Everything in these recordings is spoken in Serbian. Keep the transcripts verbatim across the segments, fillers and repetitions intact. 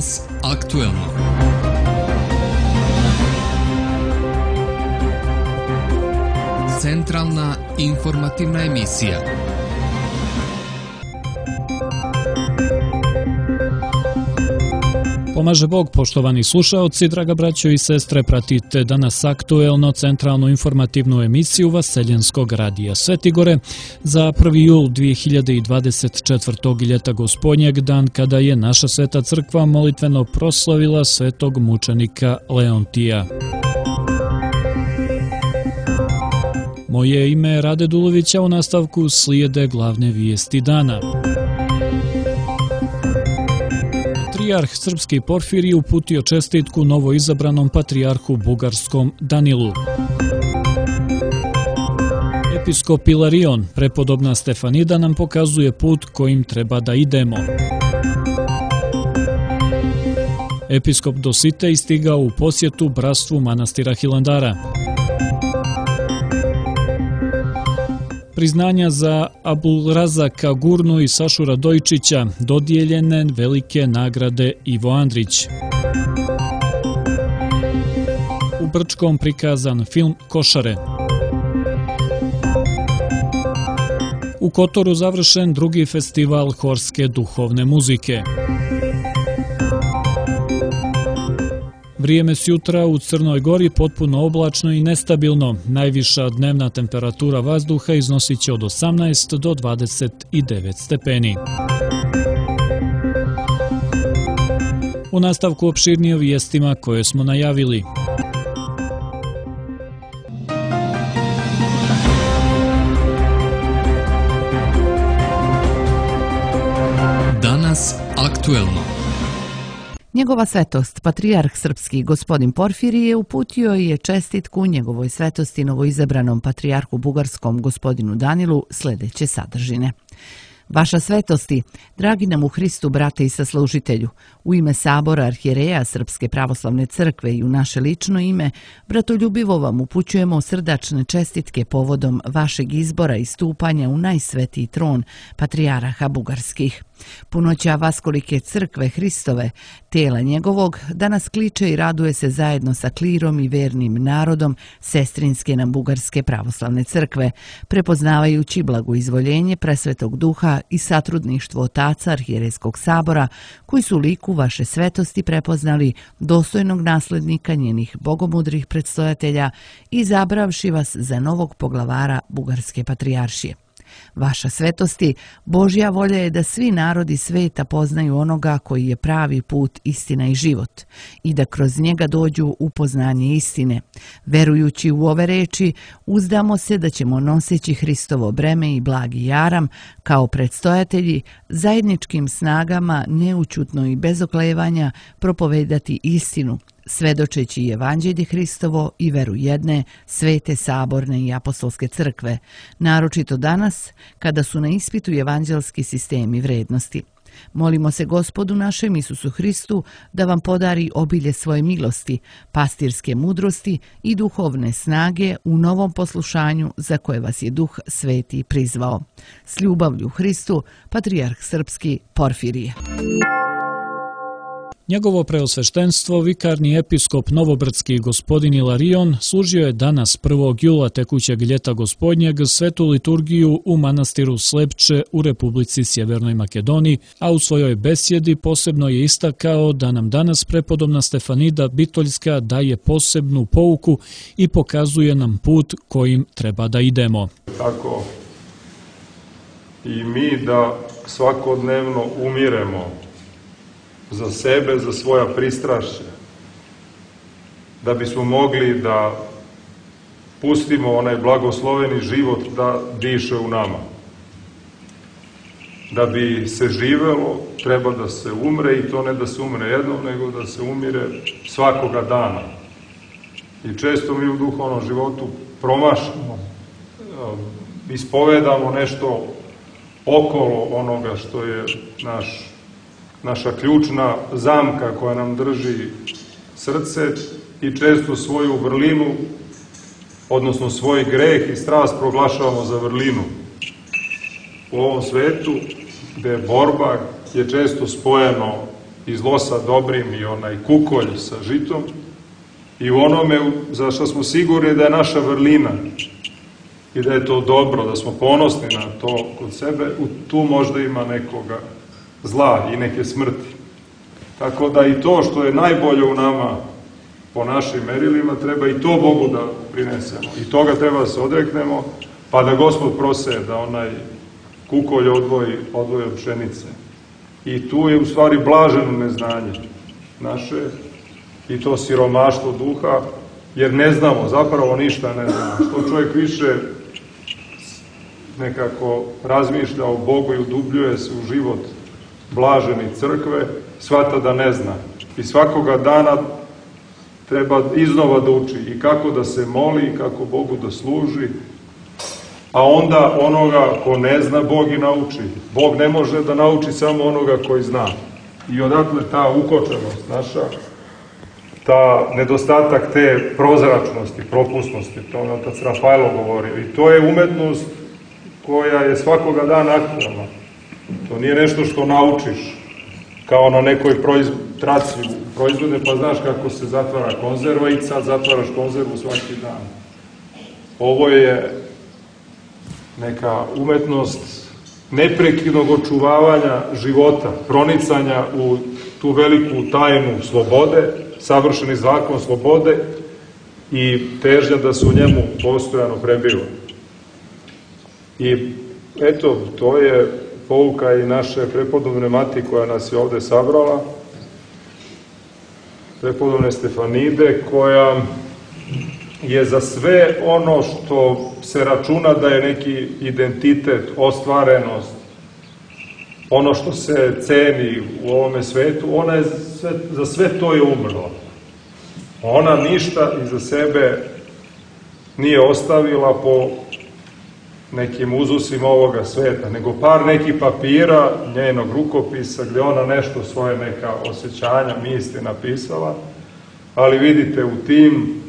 Danas aktuelno. Centralna informativna emisija. Pomaže Bog, poštovani slušaoci, draga braćo i sestre, pratite danas aktuelno centralnu informativnu emisiju Vaseljenskog radija Svetigore za prvi jul dvije hiljade dvadeset četvrtog. ljeta gospodnjeg, dan kada je naša sveta crkva molitveno proslavila svetog mučenika Leontija. Moje ime je Rade Dulović, a u nastavku slijede glavne vijesti dana. Patrijarh srpski Porfirije uputio čestitku novoizabranom patrijarhu bugarskom Danilu. Episkop Ilarion, prepodobna Stefanida, nam pokazuje put kojim treba da idemo. Episkop Dositej stigao u posjetu bratstvu manastira Hilandara. Priznanja za Abulrazaka Gurnu i Sašu Radojčića, dodijeljene velike nagrade Ivo Andrić. U Brčkom prikazan film Košare. U Kotoru završen drugi festival horske duhovne muzike. Vrijeme s jutra u Crnoj Gori potpuno oblačno i nestabilno. Najviša dnevna temperatura vazduha iznosit će od osamnaest do dvadeset devet stepeni. U nastavku opširnije o vijestima koje smo najavili. Danas aktuelno. Njegova svetost, patrijarh srpski gospodin Porfirije, uputio je čestitku njegovoj svetosti novoizabranom patrijarhu bugarskom gospodinu Danilu sljedeće sadržine. Vaša svetosti, dragi nam u Hristu brate i saslužitelju, u ime Sabora arhijereja Srpske pravoslavne crkve i u naše lično ime, bratoljubivo vam upućujemo srdačne čestitke povodom vašeg izbora i stupanja u najsvetiji tron patrijaraha bugarskih. Punoća vaskolike crkve Hristove, tela njegovog, danas kliče i raduje se zajedno sa klirom i vernim narodom sestrinske nam bugarske pravoslavne crkve, prepoznavajući blagoizvoljenje presvetog duha i satrudništvo otaca arhijerejskog sabora, koji su liku vaše svetosti prepoznali dostojnog naslednika njenih bogomudrih predstojatelja i izabravši vas za novog poglavara bugarske patrijaršije. Vaša svetosti, Božja volja je da svi narodi sveta poznaju onoga koji je pravi put, istina i život i da kroz njega dođu u poznanje istine. Verujući u ove reči, uzdamo se da ćemo noseći Hristovo breme i blagi jaram kao predstojatelji zajedničkim snagama neućutno i bez oklevanja propovedati istinu, svedočeći evanđelje Hristovo i veru jedne, svete, saborne i apostolske crkve, naročito danas kada su na ispitu evanđelski sistemi vrednosti. Molimo se Gospodu našem Isusu Hristu da vam podari obilje svoje milosti, pastirske mudrosti i duhovne snage u novom poslušanju za koje vas je Duh Sveti prizvao. S ljubavlju Hristu, patrijarh srpski Porfirije. Njegovo preosveštenstvo, vikarni episkop novobrdski gospodin Ilarion, služio je danas prvog jula tekućeg ljeta gospodnjeg svetu liturgiju u manastiru Slepče u Republici Sjevernoj Makedoniji, a u svojoj besjedi posebno je istakao da nam danas prepodobna Stefanida Bitoljska daje posebnu pouku i pokazuje nam put kojim treba da idemo. Tako i mi da svakodnevno umiremo za sebe, za svoja pristrašća, da bismo mogli da pustimo onaj blagosloveni život da diše u nama. Da bi se živelo, treba da se umre, i to ne da se umre jednom, nego da se umire svakoga dana. I često mi u duhovnom životu promašamo, ispovedamo nešto okolo onoga što je naš naša ključna zamka koja nam drži srce i često svoju vrlinu, odnosno svoj greh i strast proglašavamo za vrlinu. U ovom svetu gde borba je često spojeno i zlo sa dobrim i onaj kukolj sa žitom i u onome za što smo sigurni da je naša vrlina i da je to dobro, da smo ponosni na to kod sebe, tu možda ima nekoga zla i neke smrti. Tako da i to što je najbolje u nama po našim merilima, treba i to Bogu da prinesemo. I toga treba da se odreknemo, pa da Gospod prose da onaj kukolj odvoji, odvoji od pšenice. I tu je u stvari blaženo neznanje naše i to siromaštvo duha, jer ne znamo, zapravo ništa ne znamo. Što čovjek više nekako razmišlja o Bogu i udubljuje se u život blaženi crkve, shvata da ne zna. I svakoga dana treba iznova da uči i kako da se moli, i kako Bogu da služi, a onda onoga ko ne zna, Bog i nauči. Bog ne može da nauči samo onoga koji zna. I odatle ta ukočenost naša, ta nedostatak te prozračnosti, propusnosti, to je otac Rafaelo govorio. I to je umetnost koja je svakoga dana aktualna. To nije nešto što naučiš, kao na nekoj traci proizvode, pa znaš kako se zatvara konzerva i sad zatvaraš konzervu svaki dan. Ovo je neka umetnost neprekidnog očuvavanja života, pronicanja u tu veliku tajnu slobode, savršeni zakon slobode i težnja da se u njemu postojano prebiva. I eto, to je pouka i naše prepodobne mati koja nas je ovde sabrala, prepodobne Stefanide, koja je za sve ono što se računa da je neki identitet, ostvarenost, ono što se ceni u ovome svetu, ona je sve, za sve to je umrla. Ona ništa iza sebe nije ostavila po nekim uzusima ovoga sveta, nego par nekih papira njenog rukopisa gdje ona nešto svoje neka osjećanja, misli napisala, ali vidite u tim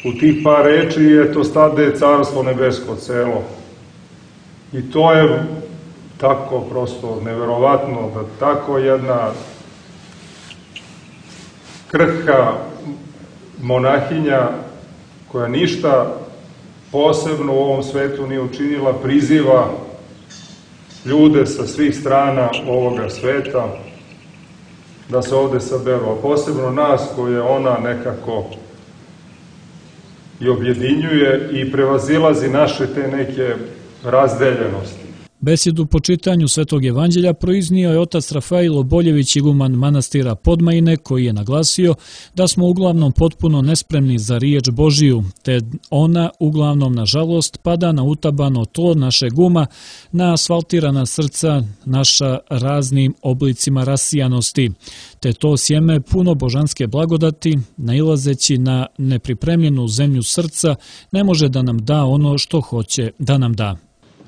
u tih par reči je to stade carstvo nebesko celo. I to je tako prosto neverovatno da tako jedna krhka monahinja koja ništa posebno u ovom svetu nije učinila, priziva ljude sa svih strana ovoga sveta da se ovde saberu, a posebno nas koje ona nekako i objedinjuje i prevazilazi naše te neke razdeljenosti. Besedu po čitanju Svetog evanđelja proiznio je otac Rafailo Boljević, iguman manastira Podmajine, koji je naglasio da smo uglavnom potpuno nespremni za riječ Božiju, te ona uglavnom, nažalost, pada na utabano tlo našeg uma, na asfaltirana srca naša raznim oblicima rasijanosti, te to sjeme puno božanske blagodati, nailazeći na nepripremljenu zemlju srca, ne može da nam da ono što hoće da nam da.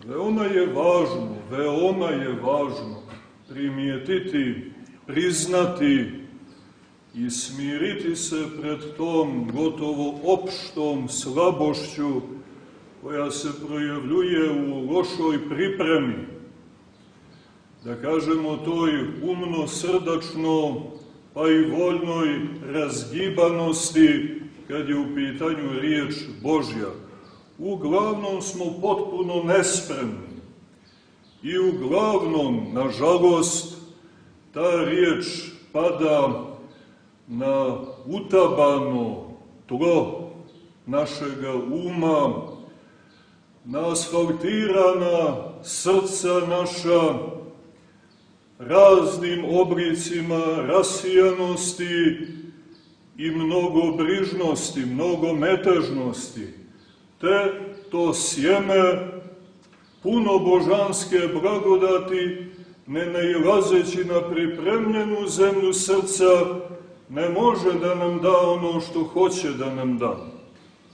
Veoma je važno, veoma je važno primijetiti, priznati i smiriti se pred tom gotovo opštom slabošću koja se projavljuje u lošoj pripremi. Da kažemo toj umno-srdačno pa i voljnoj razgibanosti kad je u pitanju riječ Božja. Uglavnom smo potpuno nespremni i uglavnom, nažalost, ta riječ pada na utabano tlo našega uma, na asfaltirana srca naša raznim oblicima rasijanosti i mnogobrižnosti, mnogometežnosti. Te to sjeme puno božanske blagodati, ne nailazeći na pripremljenu zemlju srca, ne može da nam da ono što hoće da nam da.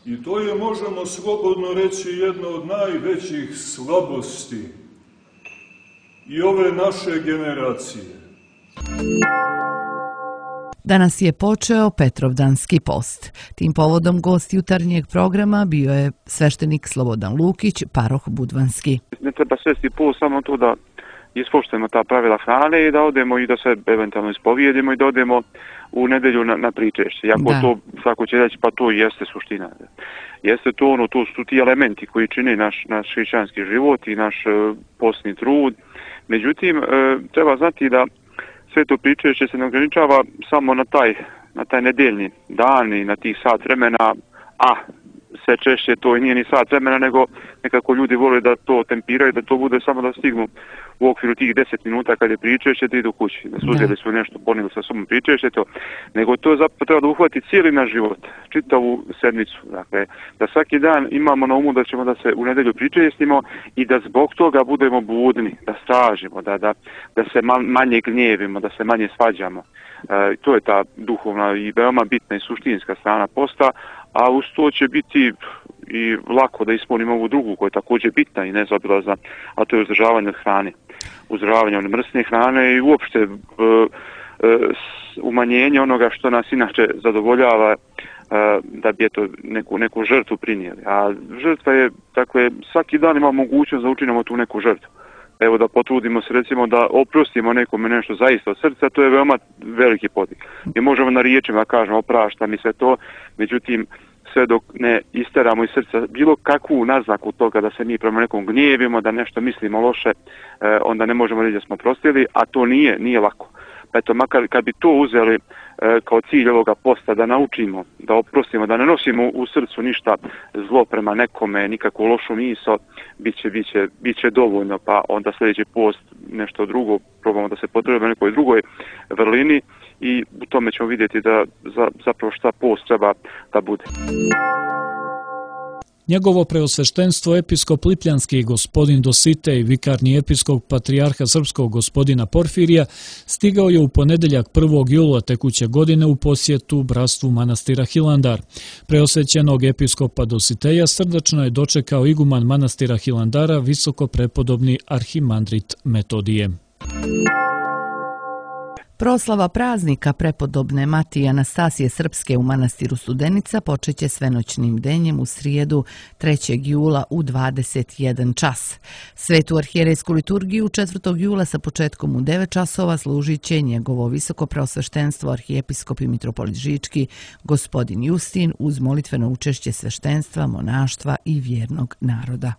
I to je, možemo slobodno reći, jedna od najvećih slabosti i ove naše generacije. Danas je počeo Petrovdanski post. Tim povodom gost jutarnjeg programa bio je sveštenik Slobodan Lukić, paroh Budvanski. Ne treba svesti post samo to da ispoštujemo ta pravila hrane i da odemo i da se eventualno ispovijedimo i da odemo u nedelju na, na pričešće. Iako to svako će reći, pa to jeste suština. Jeste to ono, to su ti elementi koji čine naš, naš hrišćanski život i naš uh, postni trud. Međutim, uh, treba znati da sve to pričešće se ne ograničava samo na taj, na taj nedeljni dan i na tih sat vremena, a sve češće to i nije ni sat vremena, nego nekako ljudi vole da to tempiraju, da to bude samo da stignu u okviru tih deset minuta kad je pričešće da idu kući, da su uzeli su nešto, ponijeli sa sobom pričešće to, nego to zapravo treba da uhvati cijeli naš život, čitavu sedmicu, dakle, da svaki dan imamo na umu da ćemo da se u nedelju pričestimo i da zbog toga budemo budni, da stražimo, da, da, da se manje gnjevimo, da se manje svađamo. E, to je ta duhovna i veoma bitna i suštinska strana posta, a uz to će biti i lako da ispunimo ovu drugu koja je također bitna i nezaobilazna, a to je uzdržavanje od hrane. Uzdržavanje od mrsne hrane i uopšte e, e, umanjenje onoga što nas inače zadovoljava, e, da bi eto neku, neku žrtvu prinijeli. A žrtva je, dakle, svaki dan ima mogućnost da učinimo tu neku žrtvu. Evo da potrudimo se recimo da oprostimo nekome nešto zaista od srca, to je veoma veliki podvig. Mi možemo na riječima kažemo oprašta mi se to, međutim sve dok ne isteramo iz srca bilo kakvu naznaku toga da se mi prema nekom gnjevimo, da nešto mislimo loše, onda ne možemo reći da smo prostili, a to nije, nije lako. Pa eto, makar kad bi to uzeli e, kao cilj ovoga posta, da naučimo, da oprostimo, da ne nosimo u srcu ništa zlo prema nekome, nikakvu lošu misao, bit će, bit će, bit će dovoljno, pa onda sljedeći post nešto drugo, probamo da se potrebujemo na nekoj drugoj vrlini i u tome ćemo vidjeti da za, zapravo šta post treba da bude. Njegovo preosveštenstvo episkop Lipljanski gospodin Dositej, vikarni episkop patrijarha srpskog gospodina Porfirija, stigao je u ponedeljak prvog jula tekuće godine u posjetu bratstvu manastira Hilandar. Preosvećenog episkopa Dositeja srdačno je dočekao iguman manastira Hilandara, visoko prepodobni arhimandrit Metodije. Proslava praznika prepodobne Matije Anastasije Srpske u manastiru Studenica počeće svenoćnim denjem u srijedu trećeg jula u dvadeset jedan čas. Svetu arhijerejsku liturgiju četvrtog jula sa početkom u devet časova služit će njegovo visoko preosveštenstvo arhijepiskop i mitropolit Žički gospodin Justin uz molitveno učešće sveštenstva, monaštva i vjernog naroda.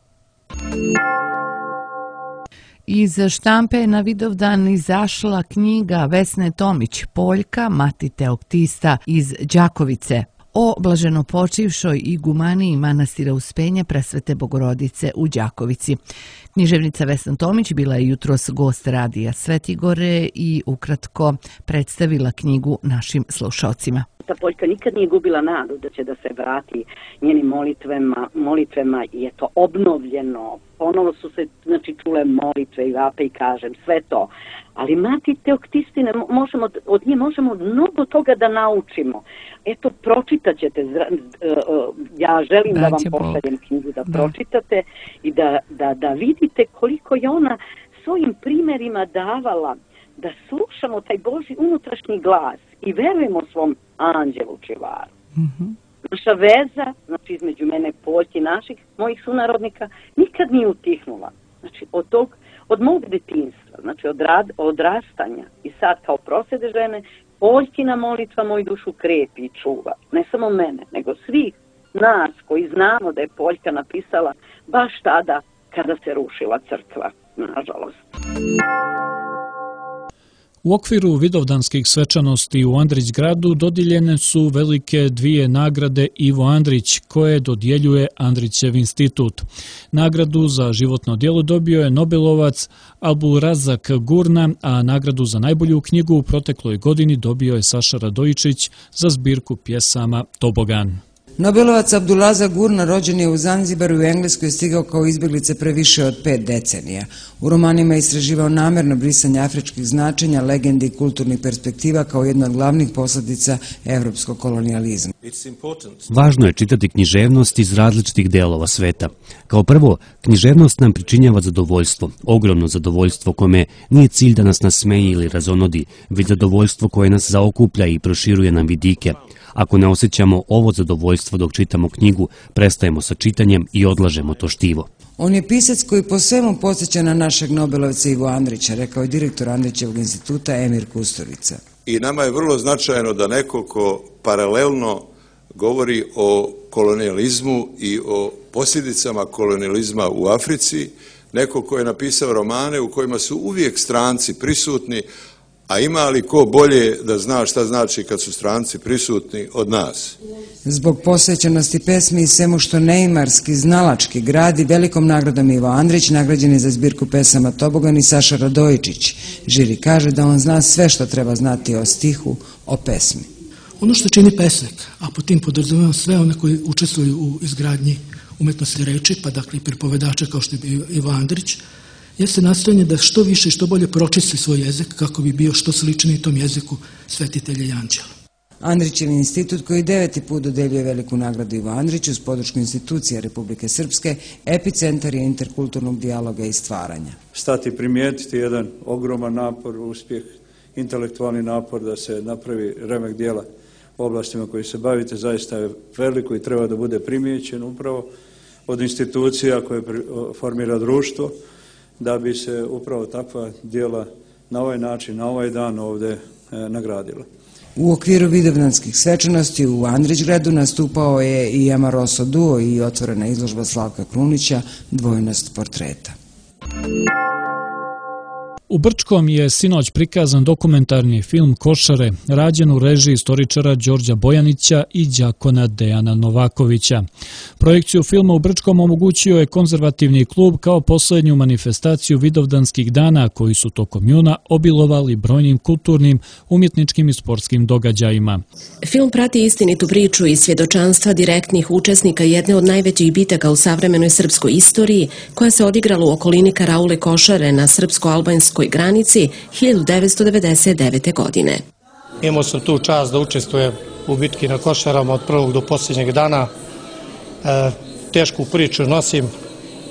Iz štampe je na Vidovdan izašla knjiga Vesne Tomić, Poljka, mati teoktista iz Đakovice, o blaženopočivšoj igumaniji manastira Uspenje Presvete Bogorodice u Đakovici. Književnica Vesna Tomić bila je jutros gost radija Svetigore i ukratko predstavila knjigu našim slušalcima. Ta Poljka nikad nije gubila nadu da će da se vrati njenim molitvama, molitvama je to obnovljeno. Ponovo su se znači, čule molitve i vape i kažem sve to. Ali mati teoktistine, možemo, od nje možemo mnogo toga da naučimo. Eto, pročitat ćete, ja želim da, da vam pošaljem knjigu, da, da pročitate i da, da, da vidite koliko je ona svojim primjerima davala da slušamo taj Božji unutrašnji glas i verujemo svom anđelu čuvaru. Mm-hmm. Naša veza, znači između mene Poljki i naših, mojih sunarodnika, nikad nije utihnula. Znači od tog, od mog detinjstva, znači od rad, odrastanja i sad kao prosvede žene, Poljkina molitva moju dušu krepi i čuva. Ne samo mene, nego svih nas koji znamo da je Poljka napisala baš tada kada se rušila crkva, nažalost. U okviru vidovdanskih svečanosti u Andrićgradu dodijeljene su velike dvije nagrade Ivo Andrić, koje dodjeljuje Andrićev institut. Nagradu za životno djelo dobio je Nobelovac Abulrazak Gurna, a nagradu za najbolju knjigu u protekloj godini dobio je Saša Radojičić za zbirku pjesama Tobogan. Nobelovac Abdulazak Gurna rođen je u Zanzibaru i u Engleskoj je stigao kao izbjeglice pre više od pet decenija. U romanima je istraživao namjerno brisanje afričkih značenja, legendi i kulturnih perspektiva kao jedna od glavnih posljedica evropskog kolonijalizma. Važno je čitati književnost iz različitih delova sveta. Kao prvo, književnost nam pričinjava zadovoljstvo, ogromno zadovoljstvo kome nije cilj da nas nasmeji ili razonodi, već zadovoljstvo koje nas zaokuplja i proširuje nam vidike. Ako ne osjećamo ovo zadovoljstvo dok čitamo knjigu, prestajemo sa čitanjem i odlažemo to štivo. On je pisac koji po svemu podsjeća na našeg Nobelovca Ivo Andrića, rekao je direktor Andrićevog instituta Emir Kusturica. I nama je vrlo značajno da neko ko paralelno govori o kolonijalizmu i o posljedicama kolonijalizma u Africi, neko ko je napisao romane u kojima su uvijek stranci prisutni, a ima li ko bolje da zna šta znači kad su stranci prisutni od nas? Zbog posvećenosti pesmi i svemu što neimarski, znalački gradi, velikom nagradom Ivo Andrić nagrađen je za zbirku pesama Tobogan i Saša Radojičić. Žiri kaže da on zna sve što treba znati o stihu, o pesmi. Ono što čini pesnik, a po tim podrazumijem sve one koji učestvuju u izgradnji umetnosti reči, pa dakle i pripovedača kao što je bio Ivo Andrić, jeste nastojanje da što više i što bolje pročisti svoj jezik kako bi bio što sličniji tom jeziku svetitelja i anđela. Andrićev institut koji deveti put dodeljuje veliku nagradu Ivo Andriću uz podršku institucija Republike Srpske, epicentar je interkulturnog dijaloga i stvaranja. Stati primijetiti jedan ogroman napor, uspjeh, intelektualni napor da se napravi remek dijela u oblastima koji se bavite, zaista je veliko i treba da bude primijećen upravo od institucija koje formira društvo, da bi se upravo takva dijela na ovaj način, na ovaj dan ovdje nagradila. U okviru vidovdanskih svečanosti u Andrićgradu nastupao je i Amaroso duo i otvorena izložba Slavka Krunića Dvojnost portreta. U Brčkom je sinoć prikazan dokumentarni film Košare, rađen u režiji istoričara Đorđa Bojanića i đakona Dejana Novakovića. Projekciju filma u Brčkom omogućio je konzervativni klub kao posljednju manifestaciju vidovdanskih dana koji su tokom juna obilovali brojnim kulturnim, umjetničkim i sportskim događajima. Film prati istinitu priču i svjedočanstva direktnih učesnika jedne od najvećih bitaka u savremenoj srpskoj istoriji koja se odigrala u okolini Karaule Košare na srpsko-albanskoj granici hiljadu devetsto devedeset devete. godine. Imao sam tu čast da učestvujem u bitki na Košarama od prvog do posljednjeg dana. E, tešku priču nosim,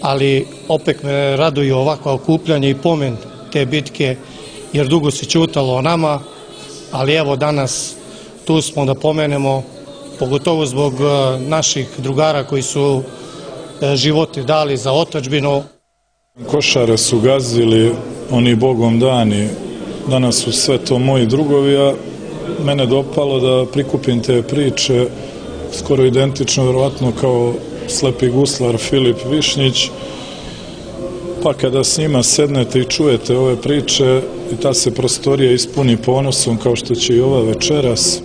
ali opet me raduju ovakva okupljanja i pomen te bitke, jer dugo se ćutalo o nama, ali evo danas tu smo da pomenemo, pogotovo zbog naših drugara koji su živote dali za otadžbinu. Košare su gazili oni bogom dani, danas su sve to moji drugovi, a mene dopalo da prikupim te priče, skoro identično, vjerovatno kao slepi guslar Filip Višnjić, pa kada s njima sednete i čujete ove priče i ta se prostorija ispuni ponosom kao što će i ova večeras.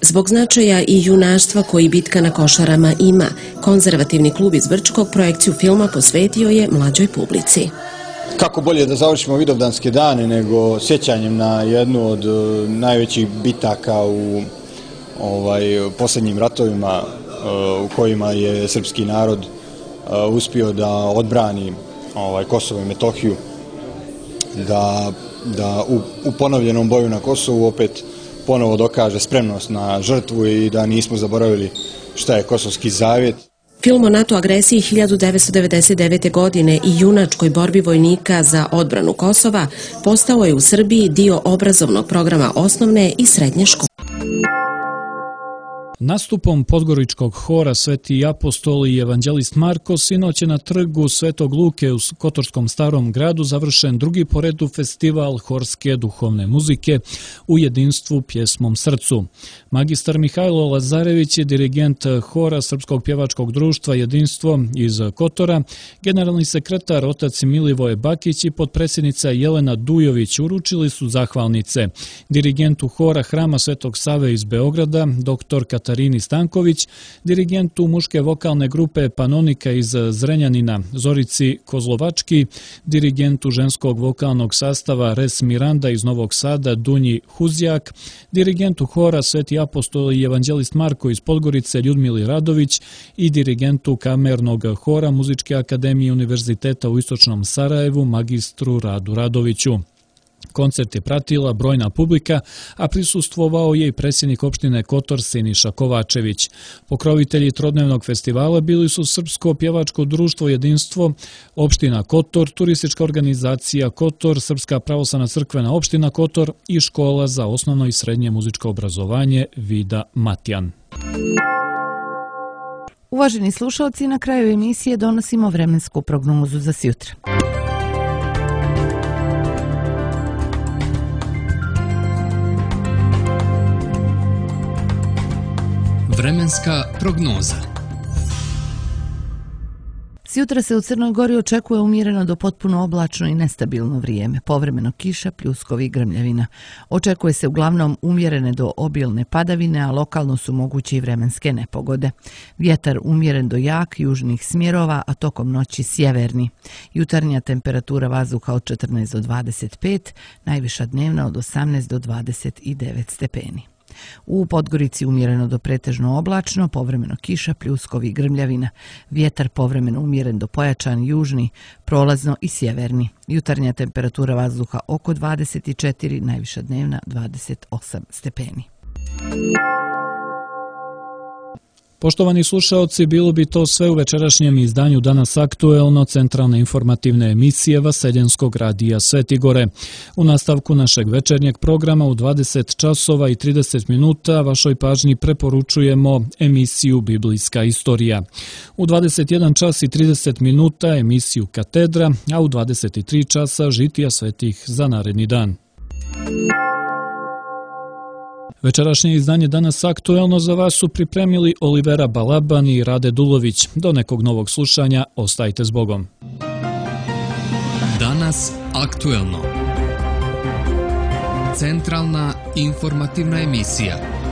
Zbog značaja i junaštva koji bitka na Košarama ima, konzervativni klub iz Brčkog projekciju filma posvetio je mlađoj publici. Kako bolje da završimo vidovdanske dane nego sjećanjem na jednu od najvećih bitaka u ovaj, posljednjim ratovima u kojima je srpski narod uspio da odbrani ovaj, Kosovo i Metohiju, da, da u, u ponovljenom boju na Kosovu opet ponovo dokaže spremnost na žrtvu i da nismo zaboravili šta je Kosovski zavjet. Film o NATO agresiji hiljadu devetsto devedeset devete. godine i junačkoj borbi vojnika za odbranu Kosova postao je u Srbiji dio obrazovnog programa osnovne i srednje škole. Nastupom Podgoričkog hora Sveti apostol i evanđelist Marko sinoć je na trgu Svetog Luke u Kotorskom Starom gradu završen drugi po redu festival horske duhovne muzike u jedinstvu pjesmom srcu. Magistar Mihajlo Lazarević je dirigent hora Srpskog pjevačkog društva Jedinstvo iz Kotora, generalni sekretar otac Milivoje Bakić i potpredsjednica Jelena Dujović uručili su zahvalnice. Dirigentu hora Hrama Svetog Save iz Beograda, doktor Katarini Stanković, dirigentu muške vokalne grupe Panonika iz Zrenjanina Zorici Kozlovački, dirigentu ženskog vokalnog sastava Res Miranda iz Novog Sada Dunji Huzjak, dirigentu hora Sveti apostol i evanđelist Marko iz Podgorice Ljudmili Radović i dirigentu kamernog hora Muzičke akademije Univerziteta u Istočnom Sarajevu magistru Radu Radoviću. Koncert je pratila brojna publika, a prisustvovao je i predsjednik opštine Kotor Siniša Kovačević. Pokrovitelji trodnevnog festivala bili su Srpsko pjevačko društvo Jedinstvo, opština Kotor, turistička organizacija Kotor, Srpska pravoslavna crkvena opština Kotor i škola za osnovno i srednje muzičko obrazovanje Vida Matjan. Uvaženi slušalci, na kraju emisije donosimo vremensku prognozu za sjutra. Vremenska prognoza. Sjutra se u Crnoj Gori očekuje umjereno do potpuno oblačno i nestabilno vrijeme, povremeno kiša, pljuskovi i grmljavina. Očekuje se uglavnom umjerene do obilne padavine, a lokalno su moguće i vremenske nepogode. Vjetar umjeren do jak, južnih smjerova, a tokom noći sjeverni. Jutarnja temperatura vazduha od četrnaest do dvadeset pet, najviša dnevna od osamnaest do dvadeset devet stepeni. U Podgorici umjereno do pretežno oblačno, povremeno kiša, pljuskovi i grmljavina. Vjetar povremeno umjeren do pojačan južni, prolazno i sjeverni. Jutarnja temperatura vazduha oko dvadeset četiri, najviša dnevna dvadeset osam stepeni. Poštovani slušaoci, bilo bi to sve u večerašnjem izdanju Danas aktuelno centralne informativne emisije Vaseljenskog radija Svetigore. U nastavku našeg večernjeg programa u dvadeset časova i trideset minuta vašoj pažnji preporučujemo emisiju Biblijska istorija. U dvadeset jedan čas i trideset minuta emisiju Katedra, a u dvadeset tri časa žitija svetih za naredni dan. Večerašnje izdanje Danas aktuelno za vas su pripremili Olivera Balaban i Rade Dulović. Do nekog novog slušanja, ostajte s Bogom. Danas aktuelno. Centralna informativna emisija.